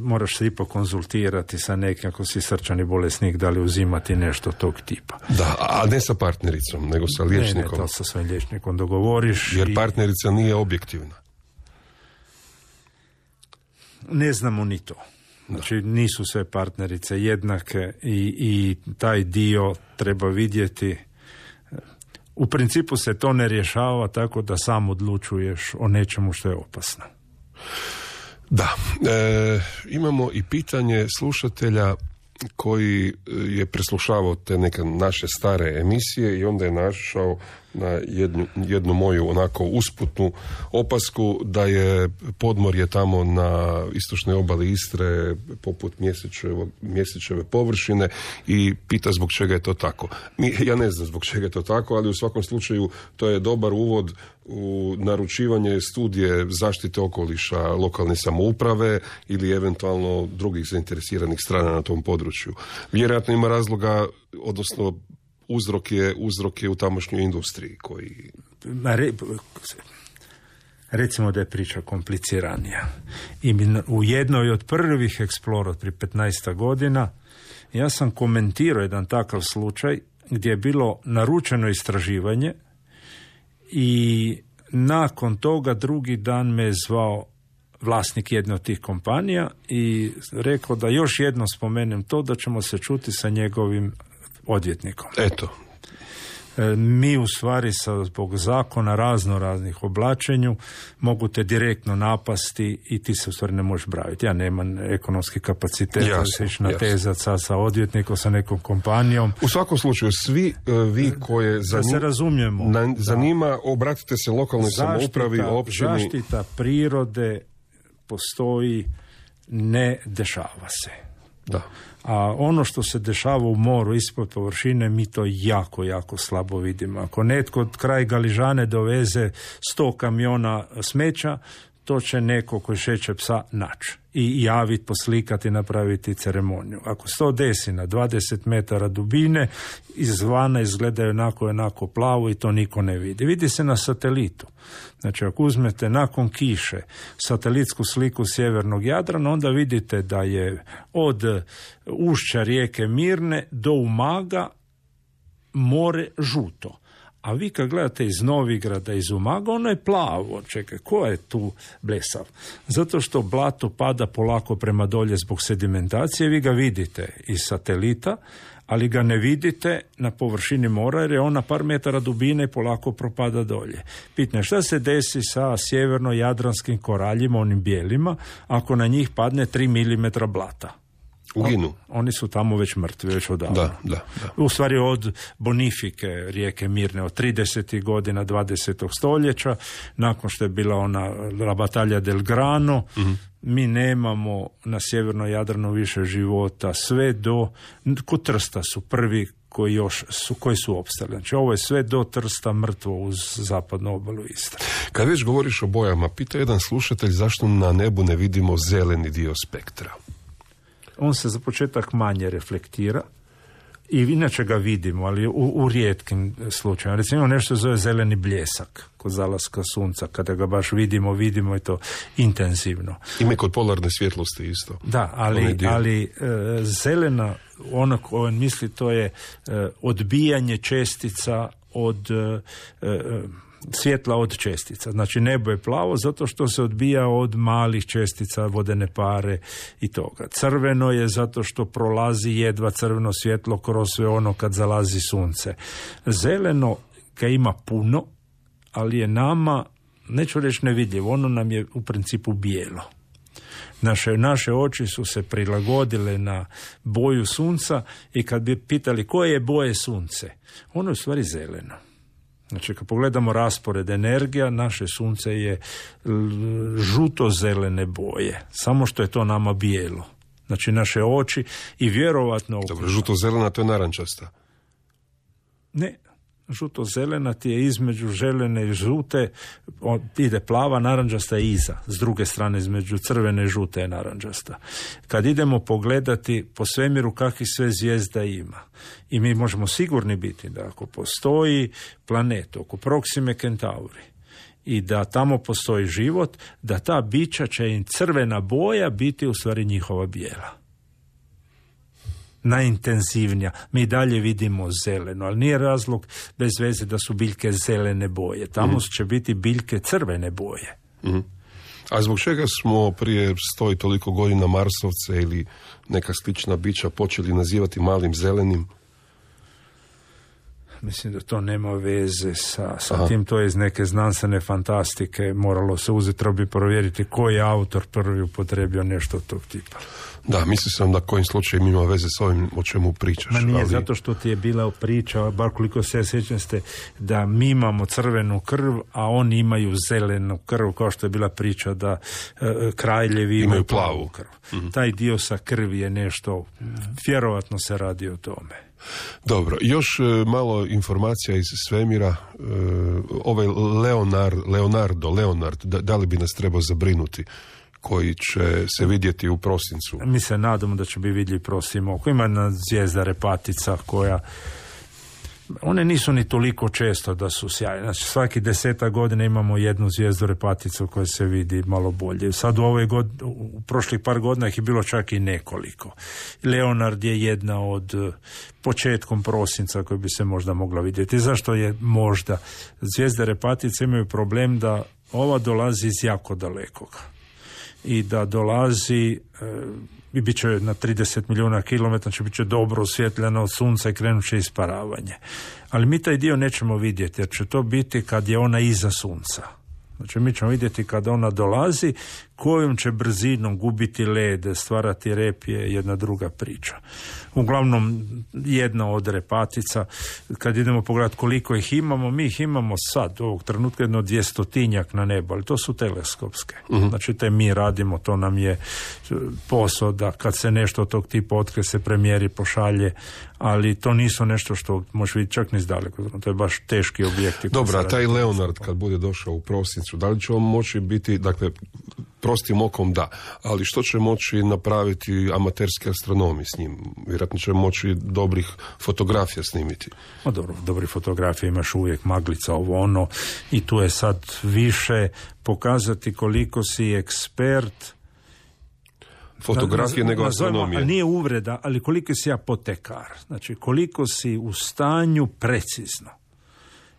Speaker 6: Moraš se ipak konzultirati sa nekim, ako si srčani bolesnik, da li uzimati nešto tog tipa.
Speaker 5: Da, a ne sa partnericom, nego sa liječnikom.
Speaker 6: Ne, to sa svojim liječnikom dogovoriš.
Speaker 5: Jer partnerica nije objektivna.
Speaker 6: Ne znamo ni to. Znači, nisu sve partnerice jednake i taj dio treba vidjeti. U principu se to ne rješava tako da sam odlučuješ o nečemu što je opasno.
Speaker 5: Da, imamo i pitanje slušatelja koji je preslušavao te neke naše stare emisije i onda je našao na jednu moju onako usputnu opasku da je podmorje tamo na istočnoj obali Istre poput mjesečeve površine i pita zbog čega je to tako. Ja ne znam zbog čega je to tako, ali u svakom slučaju to je dobar uvod u naručivanje studije zaštite okoliša lokalne samouprave ili eventualno drugih zainteresiranih strana na tom području. Vjerojatno ima razloga, odnosno uzrok je u tamošnjoj industriji koji...
Speaker 6: Recimo da je priča kompliciranija. I u jednoj od prvih Explora prije 15 godina ja sam komentirao jedan takav slučaj gdje je bilo naručeno istraživanje i nakon toga drugi dan me je zvao vlasnik jedne od tih kompanija i rekao da još jednom spomenem to, da ćemo se čuti sa njegovim odvjetnikom.
Speaker 5: Eto.
Speaker 6: Mi u stvari zbog zakona raznih oblačenju mogu te direktno napasti i ti se u stvari ne možeš braviti. Ja nemam ekonomski kapacitet da se ići natezati sa odvjetnikom, sa nekom kompanijom.
Speaker 5: U svakom slučaju, svi vi koje zanima, obratite se lokalnoj samoupravi, općini.
Speaker 6: Zaštita prirode postoji, ne dešava se.
Speaker 5: Da.
Speaker 6: A ono što se dešava u moru ispod površine, mi to jako, jako slabo vidimo. Ako netko od kraj Galižane doveze 100 kamiona smeća, to će neko koji šeće psa naći i javiti, poslikati, napraviti ceremoniju. Ako se to desi na 20 metara dubine, izvana izgledaju onako plavo i to niko ne vidi. Vidi se na satelitu. Znači, ako uzmete nakon kiše satelitsku sliku sjevernog Jadrana, onda vidite da je od ušća rijeke Mirne do Umaga more žuto. A vi kad gledate iz Novigrada, iz Umaga, ono je plavo. Čekaj, ko je tu blesav? Zato što blato pada polako prema dolje zbog sedimentacije, vi ga vidite iz satelita, ali ga ne vidite na površini mora jer je on na par metara dubine i polako propada dolje. Pitanje, šta se desi sa sjeverno-jadranskim koraljima, onim bijelima, ako na njih padne 3 mm blata?
Speaker 5: Uginu.
Speaker 6: Oni su tamo već mrtvi, već odavno.
Speaker 5: Da.
Speaker 6: U stvari od bonifike rijeke Mirne, od 30. godina 20. stoljeća, nakon što je bila ona La Battaglia del Grano, mi nemamo na sjevernom Jadranu više života, sve do, kod Trsta su prvi koji su opstali. Znači, ovo je sve do Trsta mrtvo uz zapadnu obalu Istre.
Speaker 5: Kad već govoriš o bojama, pita jedan slušatelj zašto na nebu ne vidimo zeleni dio spektra.
Speaker 6: On se za početak manje reflektira i inače ga vidimo, ali u rijetkim slučajima. Recimo nešto zove zeleni bljesak kod zalaska sunca, kada ga baš vidimo i to intenzivno.
Speaker 5: Ima i kod polarne svjetlosti isto.
Speaker 6: Da, ali zelena, ono koje misli, to je odbijanje čestica od svjetla od čestica. Znači nebo je plavo zato što se odbija od malih čestica, vodene pare i toga. Crveno je zato što prolazi jedva crveno svjetlo kroz sve ono kad zalazi sunce. Zeleno ga ima puno, ali je nama, neću reći nevidljivo, ono nam je u principu bijelo. Naše oči su se prilagodile na boju sunca i kad bi pitali koje je boje sunce, ono je u stvari zeleno. Znači, kad pogledamo raspored energija, naše sunce je žuto-zelene boje, samo što je to nama bijelo. Znači, naše oči i vjerovatno...
Speaker 5: Dobro, žuto-zelena, to je narančasta.
Speaker 6: Ne, žuto-zelena ti je između željene i žute, ide plava, narančasta je iza. S druge strane, između crvene i žute je narančasta. Kad idemo pogledati po svemiru kakvih sve zvijezda ima, i mi možemo sigurni biti da ako postoji planet oko Proxime Centauri i da tamo postoji život, da ta bića će im crvena boja biti u stvari njihova bijela. Najintenzivnija. Mi dalje vidimo zeleno, ali nije razlog bez veze da su biljke zelene boje. Tamo će biti biljke crvene boje.
Speaker 5: A zbog čega smo prije 100 i toliko godina Marsovce ili neka slična bića počeli nazivati malim zelenim?
Speaker 6: Mislim da to nema veze sa tim, to je iz neke znanstvene fantastike, moralo se uzeti, treba bi provjeriti koji je autor prvi upotrebio nešto od tog tipa.
Speaker 5: Da, mislio sam da kojim slučajem ima veze s ovim o čemu pričaš.
Speaker 6: Ma nije, zato što ti je bila priča, bar koliko se sjećam ste, da mi imamo crvenu krv, a oni imaju zelenu krv, kao što je bila priča da kraljevi imaju plavu krv. Taj dio sa krvi je nešto, vjerovatno se radi o tome.
Speaker 5: Dobro, još malo informacija iz svemira. Ovaj Leonard, da li bi nas trebao zabrinuti, koji će se vidjeti u prosincu?
Speaker 6: Mi se nadamo da će biti vidljiv prosim oko. Ima jedna zvijezda Repatica koja, one nisu ni toliko često da su sjajne. Znači svaki 10 godina imamo jednu zvijezdu Repaticu koja se vidi malo bolje. Sad u prošlih par godina ih je bilo čak i nekoliko. Leonard je jedna od početkom prosinca koja bi se možda mogla vidjeti. Zašto je možda? Zvijezde Repatice imaju problem da ova dolazi iz jako dalekog. I da dolazi i bit će na 30 milijuna kilometara, će bit će dobro osvjetljeno od sunca i krenut će isparavanje. Ali mi taj dio nećemo vidjeti, jer će to biti kad je ona iza sunca. Znači mi ćemo vidjeti kada ona dolazi, kojom će brzinom gubiti led, stvarati rep je jedna druga priča. Uglavnom, jedna od Repatica, kad idemo pogledati koliko ih imamo, mi ih imamo sad, ovog trenutka jedno 200 na nebu, ali to su teleskopske. Znači te mi radimo, to nam je posao da kad se nešto od tog tipa otkrije se premjeri, pošalje, ali to nisu nešto što može vidjeti čak ni izdaleko. To je baš teški objekti.
Speaker 5: Dobro, a taj Leonard kad bude došao u prosincu, da li će on moći biti, dakle, prostim okom da, ali što će moći napraviti amaterski astronomi s njim? Vjerojatno će moći dobrih fotografija snimiti.
Speaker 6: Dobro, dobri fotografije imaš uvijek, maglica, ovo ono, i tu je sad više pokazati koliko si ekspert
Speaker 5: fotografije nego astronomije.
Speaker 6: Ali nije uvreda, ali koliko si apotekar. Znači koliko si u stanju precizno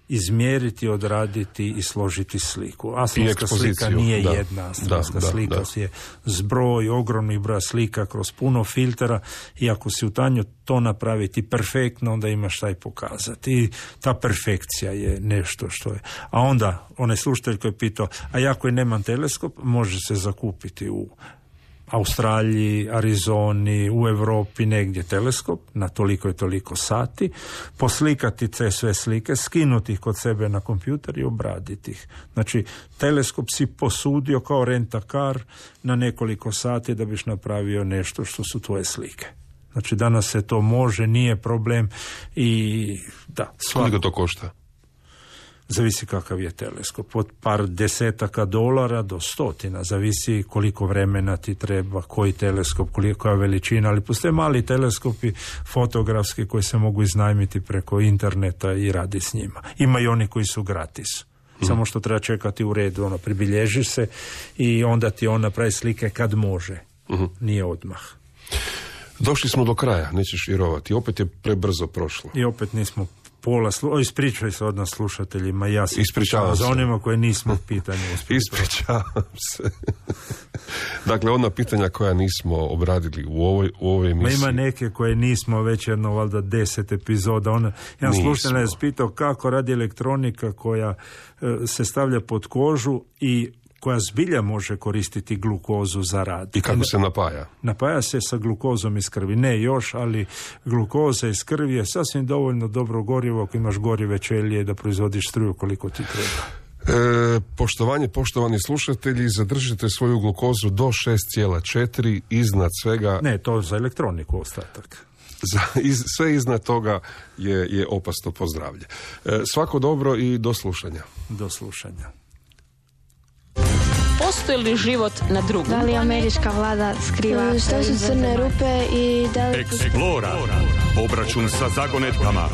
Speaker 6: izmjeriti, odraditi i složiti sliku. Astronomska slika nije jedna. Astronomska slika je zbroj, ogromnih broja slika kroz puno filtera, i ako si u stanju to napraviti perfektno, onda imaš taj pokazati. I ta perfekcija je nešto što je. A onda, onaj slušatelj koji je pitao, a ja koji nemam teleskop, može se zakupiti u Australiji, Arizoni, u Europi, negdje teleskop na toliko i toliko sati, poslikati te sve slike, skinuti ih kod sebe na kompjuter i obraditi ih. Znači, teleskop si posudio kao rent-a-car na nekoliko sati da biš napravio nešto što su tvoje slike. Znači, danas se to može, nije problem i da.
Speaker 5: Koliko to košta?
Speaker 6: Zavisi kakav je teleskop. Od par desetaka dolara do stotina. Zavisi koliko vremena ti treba, koji teleskop, kolika veličina. Ali postoje mali teleskopi fotografski koji se mogu iznajmiti preko interneta i radi s njima. Ima i oni koji su gratis. Samo što treba čekati u redu. Pribilježiš se i onda ti on napravi slike kad može. Nije odmah.
Speaker 5: Došli smo do kraja, nećeš vjerovati. Opet je prebrzo prošlo.
Speaker 6: I opet nismo ispričaj se od nas slušateljima, ja se
Speaker 5: ispričavam
Speaker 6: za onima koje nismo pitanje uspjeli.
Speaker 5: Ispričavam se. Dakle, ona pitanja koja nismo obradili u ovoj emisiji.
Speaker 6: Ima neke koje nismo već jedno, valjda 10 epizoda. Jedan slušatelj je spitao kako radi elektronika koja se stavlja pod kožu i koja zbilja može koristiti glukozu za rad.
Speaker 5: I kako se napaja?
Speaker 6: Napaja se sa glukozom iz krvi. Ne još, ali glukoza iz krvi je sasvim dovoljno dobro gorivo ako imaš gorive ćelije da proizvodiš struju koliko ti treba.
Speaker 5: Poštovani slušatelji, zadržite svoju glukozu do 6,4, iznad svega...
Speaker 6: Ne, to za elektroniku ostatak.
Speaker 5: Sve iznad toga je opasno po zdravlje. Svako dobro i do slušanja.
Speaker 6: Do slušanja.
Speaker 1: Postoji li život na drugom?
Speaker 2: Da li američka vlada skriva
Speaker 3: Što su crne rupe i da li...
Speaker 4: Explora. Obračun sa zagonetkama.